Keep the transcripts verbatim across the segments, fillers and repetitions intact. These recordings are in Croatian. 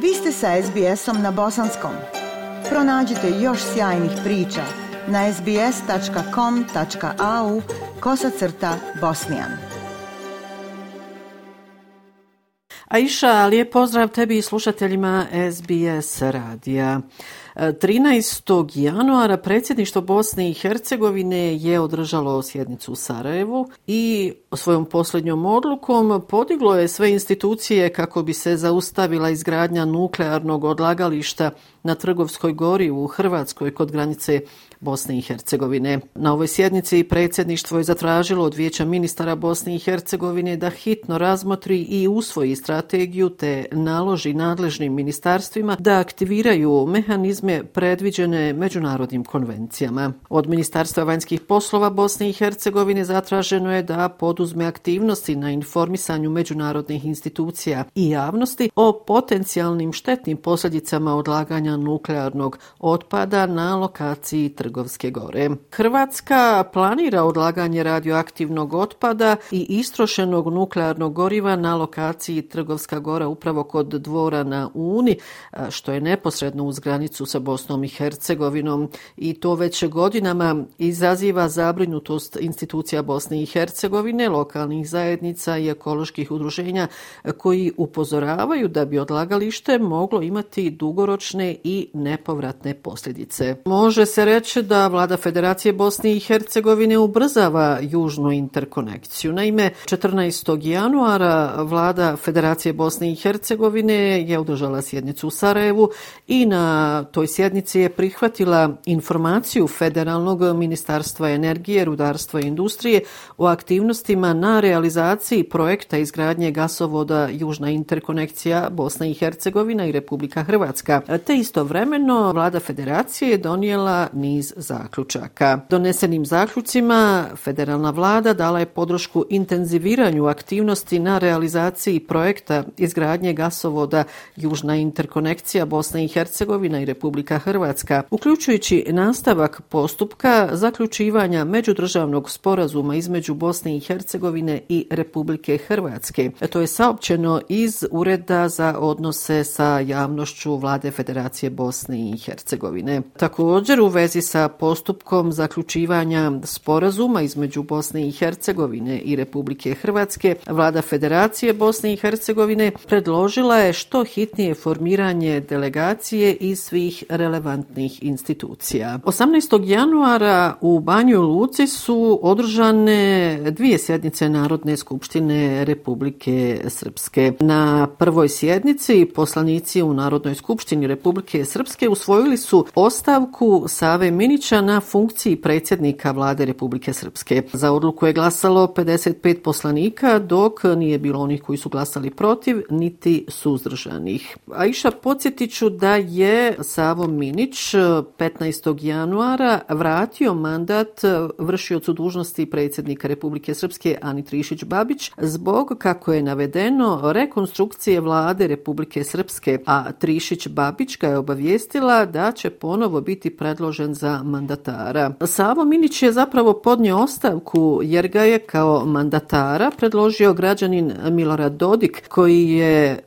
Vi ste sa es be esom na bosanskom. Pronađite još sjajnih priča na es be es tačka com tačka a u kosacrta bosnijan. Aisha, lijep pozdrav tebi i slušateljima es be es radija. trinaestog januara predsjedništvo Bosne i Hercegovine je održalo sjednicu u Sarajevu i svojom posljednjom odlukom podiglo je sve institucije kako bi se zaustavila izgradnja nuklearnog odlagališta na Trgovskoj gori u Hrvatskoj kod granice Bosne i Hercegovine. Na ovoj sjednici predsjedništvo je zatražilo od Vijeća ministara Bosne i Hercegovine da hitno razmotri i usvoji strategiju te naloži nadležnim ministarstvima da aktiviraju mehanizme predviđene međunarodnim konvencijama. Od Ministarstva vanjskih poslova Bosne i Hercegovine zatraženo je da poduzme aktivnosti na informisanju međunarodnih institucija i javnosti o potencijalnim štetnim posljedicama odlaganja nuklearnog otpada na lokaciji Trgovske gore. Hrvatska planira odlaganje radioaktivnog otpada i istrošenog nuklearnog goriva na lokaciji Trgovska gora upravo kod Dvora na Uni, što je neposredno uz granicu sa Bosnom i Hercegovinom, i to već godinama izaziva zabrinutost institucija Bosne i Hercegovine, lokalnih zajednica i ekoloških udruženja koji upozoravaju da bi odlagalište moglo imati dugoročne i nepovratne posljedice. Može se reći da vlada Federacije Bosne i Hercegovine ubrzava južnu interkonekciju. Naime, četrnaestog januara vlada Federacije Bosne i Hercegovine je održala sjednicu u Sarajevu i na toj sjednici je prihvatila informaciju Federalnog ministarstva energije, rudarstva i industrije o aktivnostima na realizaciji projekta izgradnje gasovoda Južna interkonekcija Bosna i Hercegovina i Republika Hrvatska. Te istovremeno vlada Federacije je donijela niz zaključaka. Donesenim zaključcima federalna vlada dala je podršku intenziviranju aktivnosti na realizaciji projekta izgradnje gasovoda Južna interkonekcija Bosna i Hercegovina i Republika Hrvatska, uključujući nastavak postupka zaključivanja međudržavnog sporazuma između Bosne i Hercegovine i Republike Hrvatske. To je saopćeno iz Ureda za odnose sa javnošću vlade Federacije Bosne i Hercegovine. Također, u vezi sa postupkom zaključivanja sporazuma između Bosne i Hercegovine i Republike Hrvatske, vlada Federacije Bosne i Hercegovine predložila je što hitnije formiranje delegacije iz svih relevantnih institucija. osamnaestog januara u Banjoj Luci su održane dvije sjednice Narodne skupštine Republike Srpske. Na prvoj sjednici poslanici u Narodnoj skupštini Republike Srpske usvojili su ostavku Save Minića na funkciji predsjednika vlade Republike Srpske. Za odluku je glasalo pedeset pet poslanika, dok nije bilo onih koji su glasali protiv, niti suzdržanih. Aisha, podsjetit ću da je Savo Minić petnaestog januara vratio mandat vršiocu dužnosti predsjednika Republike Srpske Ani Trišić-Babić zbog, kako je navedeno, rekonstrukcije vlade Republike Srpske, a Trišić-Babić ga je obavijestila da će ponovo biti predložen za mandatara. Savo Minić je zapravo podnio ostavku jer ga je kao mandatara predložio građanin Milorad Dodik, koji je,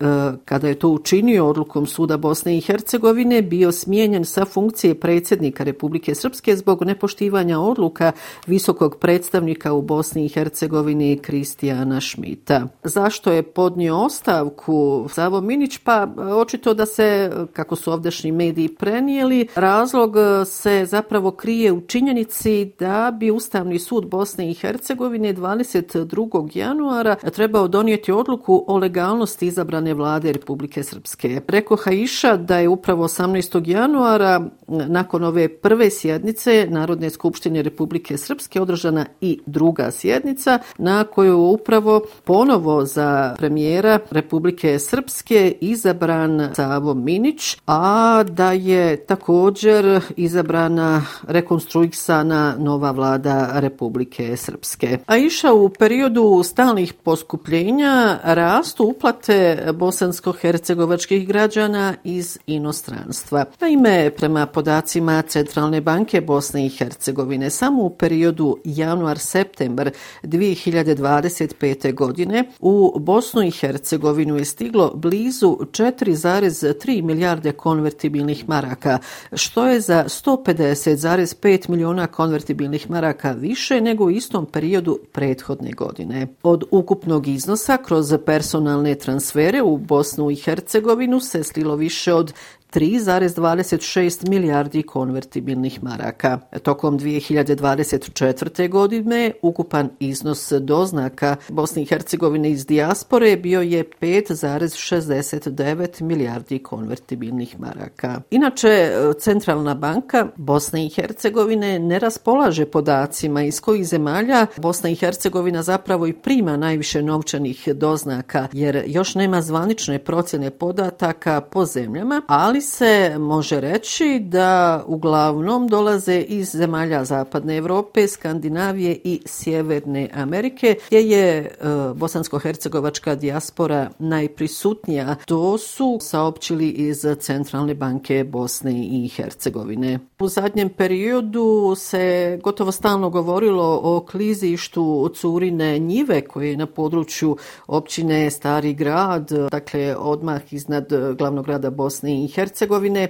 kada je to učinio odlukom Suda Bosne i Hercegovine, bio smijenjen sa funkcije predsjednika Republike Srpske zbog nepoštivanja odluka visokog predstavnika u Bosni i Hercegovini Kristijana Šmita. Zašto je podnio ostavku Savo Minić? Pa očito da se, kako su ovdašnji mediji prenijeli, razlog se zapravo krije u činjenici da bi Ustavni sud Bosne i Hercegovine dvadeset drugog januara trebao donijeti odluku o legalnosti izabrane vlade Republike Srpske. Preko Aisha da je upravo osamnaestog januara nakon ove prve sjednice Narodne skupštine Republike Srpske održana i druga sjednica na kojoj upravo ponovo za premijera Republike Srpske izabran Savo Minić, a da je također izabrana rekonstruisana nova vlada Republike Srpske. Aisha, u periodu stalnih poskupljenja rastu uplate bosansko-hercegovačkih građana iz inostranstva. Sarajeva. Naime, prema podacima Centralne banke Bosne i Hercegovine, samo u periodu januar-septembar dvije hiljade dvadeset pete. godine u Bosnu i Hercegovinu je stiglo blizu četiri zarez tri milijarde konvertibilnih maraka, što je za sto pedeset zarez pet miliona konvertibilnih maraka više nego u istom periodu prethodne godine. Od ukupnog iznosa kroz personalne transfere u Bosnu i Hercegovinu se slilo više od tri zarez dvadeset šest milijardi konvertibilnih maraka. Tokom dvije hiljade dvadeset četvrte. godine ukupan iznos doznaka Bosne i Hercegovine iz dijaspore bio je pet zarez šezdeset devet milijardi konvertibilnih maraka. Inače, Centralna banka Bosne i Hercegovine ne raspolaže podacima iz kojih zemalja Bosna i Hercegovina zapravo i prima najviše novčanih doznaka, jer još nema zvanične procjene podataka po zemljama, ali se može reći da uglavnom dolaze iz zemalja Zapadne Europe, Skandinavije i Sjeverne Amerike, gdje je e, bosansko-hercegovačka dijaspora najprisutnija. To su saopćili iz Centralne banke Bosne i Hercegovine. U zadnjem periodu se gotovo stalno govorilo o klizištu Curine njive koje je na području općine Stari grad, dakle odmah iznad glavnog grada Bosne i Hercegovine,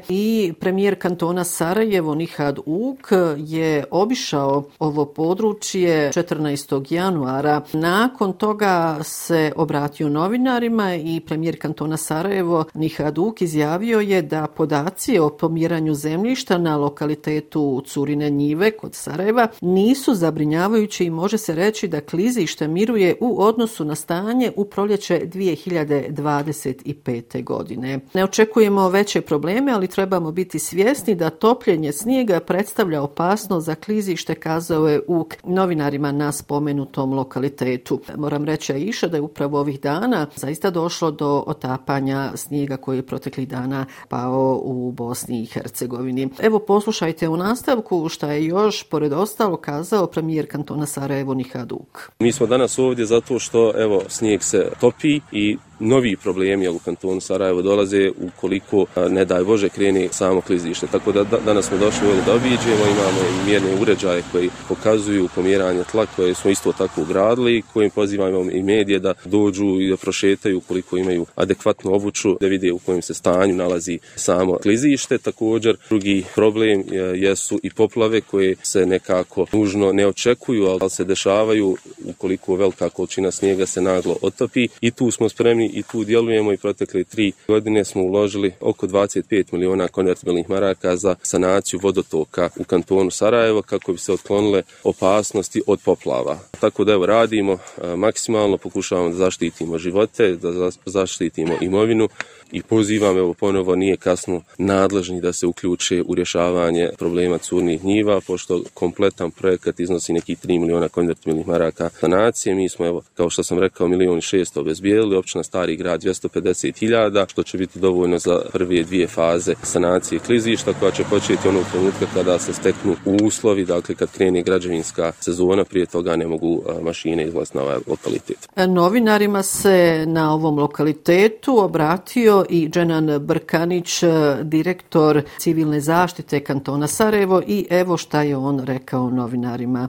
i premijer kantona Sarajevo Nihad Uk je obišao ovo područje četrnaestog januara. Nakon toga se obratio novinarima i premijer kantona Sarajevo Nihad Uk izjavio je da podaci o pomjeranju zemljišta na lokalitetu Curine njive kod Sarajeva nisu zabrinjavajući i može se reći da klizište miruje u odnosu na stanje u proljeće dvije hiljade dvadeset pete. godine. Ne očekujemo veće probleme, ali trebamo biti svjesni da topljenje snijega predstavlja opasnost za klizište, kazao je Uk novinarima na spomenutom lokalitetu. Moram reći, Aisha, da je upravo ovih dana zaista došlo do otapanja snijega koji je proteklih dana pao u Bosni i Hercegovini. Evo, poslušajte u nastavku šta je još pored ostalo kazao premijer kantona Sarajevo Nihad Uk. Mi smo danas ovdje zato što evo snijeg se topi i novi problemi u kantonu Sarajevo dolaze ukoliko, ne daj Bože, krene samo klizište. Tako da danas smo došli ovdje da obiđemo, imamo i mjerne uređaje koji pokazuju pomjeranje tla koje smo isto tako ugradili, kojim pozivamo i medije da dođu i da prošetaju ukoliko imaju adekvatnu obuću, da vide u kojem se stanju nalazi samo klizište. Također, drugi problem jesu i poplave koje se nekako nužno ne očekuju, ali se dešavaju ukoliko velika količina snijega se naglo otopi, i tu smo spremni i tu djelujemo, i protekle tri godine smo uložili oko dvadeset pet miliona konvertibilnih maraka za sanaciju vodotoka u kantonu Sarajevo kako bi se otklonile opasnosti od poplava. Tako da evo radimo maksimalno, pokušavamo da zaštitimo živote, da zaštitimo imovinu, i pozivam, evo ponovo, nije kasno, nadležni da se uključe u rješavanje problema curnih njiva, pošto kompletan projekat iznosi nekih tri miliona konvertibilnih maraka sanacije. Mi smo, evo, kao što sam rekao, milion i šesto obezbijedili, općina Stari grad dvjesto pedeset hiljada, što će biti dovoljno za prve dvije faze sanacije klizišta, koja će početi onog trenutka kada se steknu uslovi, dakle kad krene građevinska sezona, prije toga ne mogu mašine izlaziti na ovaj lokalitet. Novinarima se na ovom lokalitetu obratio i Dženan Brkanić, direktor civilne zaštite kantona Sarajevo, i evo šta je on rekao novinarima.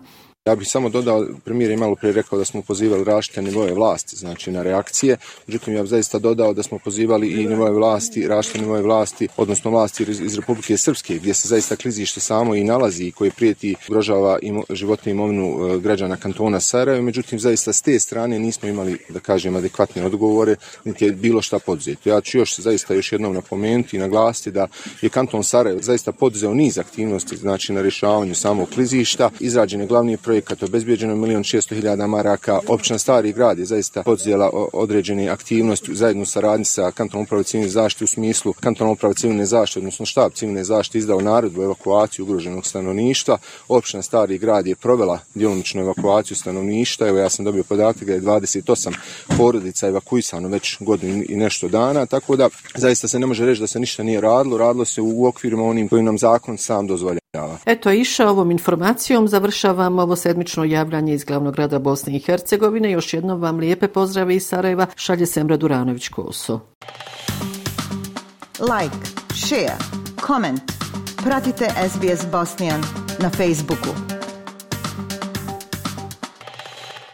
Ja bih samo dodao, premijer je malo prije rekao da smo pozivali različite nivoe vlasti, znači na reakcije. Međutim, ja bih zaista dodao da smo pozivali i nivoe vlasti, različite nivoe vlasti, odnosno vlasti iz Republike Srpske, gdje se zaista klizište samo i nalazi i koje prijeti ugrožava životnu imovinu građana kantona Sarajevo. Međutim, zaista s te strane nismo imali, da kažem, adekvatne odgovore, niti je bilo šta poduzeto. Ja ću još zaista još jednom napomenuti i naglasiti da je kanton Sarajevo zaista poduzeo niz aktivnosti, znači na rješavanju samog klizišta. Izrađen je glavni projekt, kad je obezbijeđeno milion šesto hiljada maraka. Općina Stari grad je zaista poduzela određene aktivnosti zajedno sa radnji sa kantonom uprave civilne zaštite, u smislu kantonom uprave civilne zaštite, odnosno štab civilne zaštite izdao naredbu evakuaciju ugroženog stanovništva. Općina Stari grad je provela djelomičnu evakuaciju stanovništva. Evo, ja sam dobio podatak da je dvadeset osam porodica evakuisano već godinu i nešto dana, tako da zaista se ne može reći da se ništa nije radilo. Radilo se u okvirima onim kojim nam zakon sam dozvoljava. Eto, Iša, ovom informacijom završavam ovo sedmično javljanje iz glavnog grada Bosne i Hercegovine. Još jednom vam lijepe pozdrave iz Sarajeva šalje Semra Duranović Koso. Like, share, comment. Pratite S B S Bosnian na Facebooku.